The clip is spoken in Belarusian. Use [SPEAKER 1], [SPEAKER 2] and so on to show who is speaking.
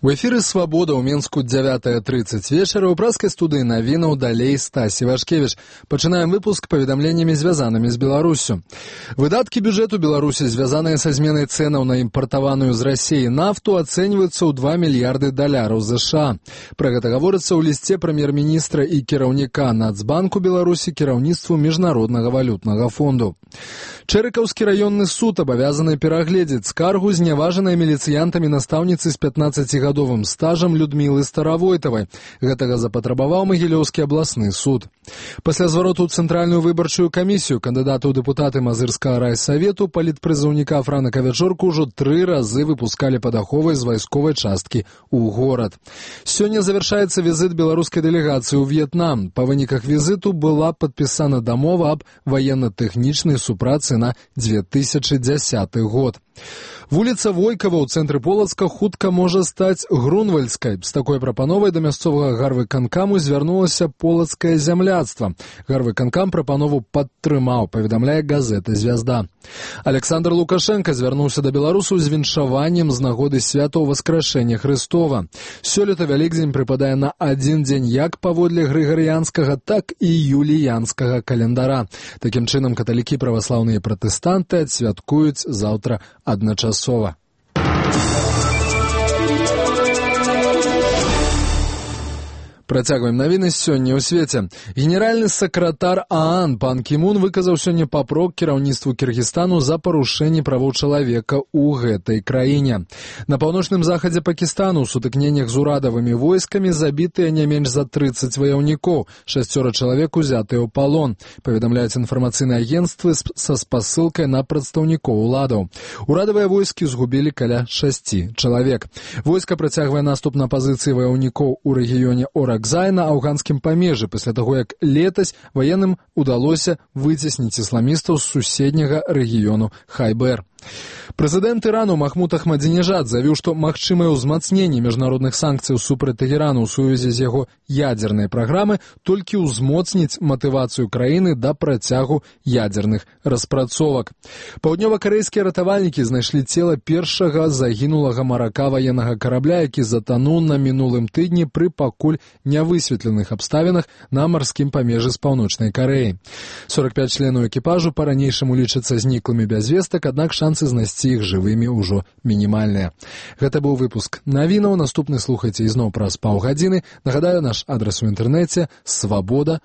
[SPEAKER 1] У эфіры «Свабода» ў Мінску 9:30 вечара ў праскай студыі навінаў далей Стасі Вашкевіч. Пачынаем выпуск паведамленнямі, звязанымі з Беларусю. Выдаткі бюджэту Беларусі, звязаныя са зменай цэнаў на імпартаваную з Расіі нафту, ацэньваюцца ў $2 мільярды США. Пра гэта гаворыцца ў лісце прэм'ер-міністра і кіраўніка Нацбанку Беларусі кіраўніцтву Міжнароднага валютнага фонду. Чэрыкаўскі раённы суд абавязаны перагледзець скаргу зняважанай міліцыянтамі настаўніцы з 15-гадовым стажам Людмілы Старавойтавай. Гэтага запатрабаваў Магілёўскі абласны суд. Пасля звароту ў Цэнтральную выбарчую камісію кандыдата ў дэпутаты Мазырскага райсавету палітпрызыўніка Франака Вячорку ўжо 3 разы выпускалі пад аховай з вайсковай часткі ў горад. Сёння завяршаецца візіт беларускай дэлегацыі ў В'етнам. Па выніках візіту была падпісана дамова аб ваенна-тэхнічнай супрацы на 2010 год. Вуліца Войкава ў цэнтры Полацка хутка можа стаць Грунвальдскай. З такой прапановай да мясцовага гарвыканкаму звярнулася полацкае зямляцтва. Гарвыканкам прапанову падтрымаў, паведамляе газета «Звязда». Александр Лукашенко звярнуўся да беларусаў з віншаваннем з нагоды святаў Васкрашэння Хрыстова. Сёлета Вялікдзень прыпадае на адзін дзень як паводле грыгарыянскага, так і юліянскага календара. Такім чынам каталікі, праваслаўныя і пратэстанты адсвяткуюць заўтра адначасова. Працягваем навіны сёння ў свеце. Генеральны сакратар ААН пан Кімун выказаў сёння папрок кіраўніцтву Кіргізстану за парушэнне правоў чалавека ў гэтай краіне. На паўночным захадзе Пакістану ў сутыкненнях з урадавымі войскамі забітыя не менш за 30 ваяўнікоў, 6 чалавек узятыя ў палон, паведамляюць інфармацыйныя агенцтвы са спасылкай на прадстаўнікоў уладаў. Урадавыя войскі згубілі каля 6 чалавек. Войска працягвае наступ на пазіцыі ваяўнікоў у рэгіёне Оракзай на афганскім памежжы пасля таго, як летась ваенным удалося выцесніць ісламістаў з суседняга рэгіёну Хайбер. Прэзідэнт Ірану Махмуд Ахмадзінежад заявіў, што магчымае ўзмацненне міжнародных санкцый супраць Тэгэрану ў сувязі з яго ядзернай праграмы толькі ўзмоцніць матывацыю краіны да працягу ядзерных распрацовак. Паўднёва-карэйскія ратавальнікі знайшлі цела першага загінулага марака ваеннага карабля, які затануў на мінулым тыдні пры пакуль нявысветленых абставінах на марскім памежжы з паўночнай Карэяй. 45 членаў экіпажу па-ранейшаму лічацца зніклымі без вестак, аднак шансы знайсці іх жывымі ўжо мінімальныя. Гэта быў выпуск навінаў. Наступны слухайце ізноў праз паўгадзіны. Нагадаю, наш адрас у інтэрнэце свабода.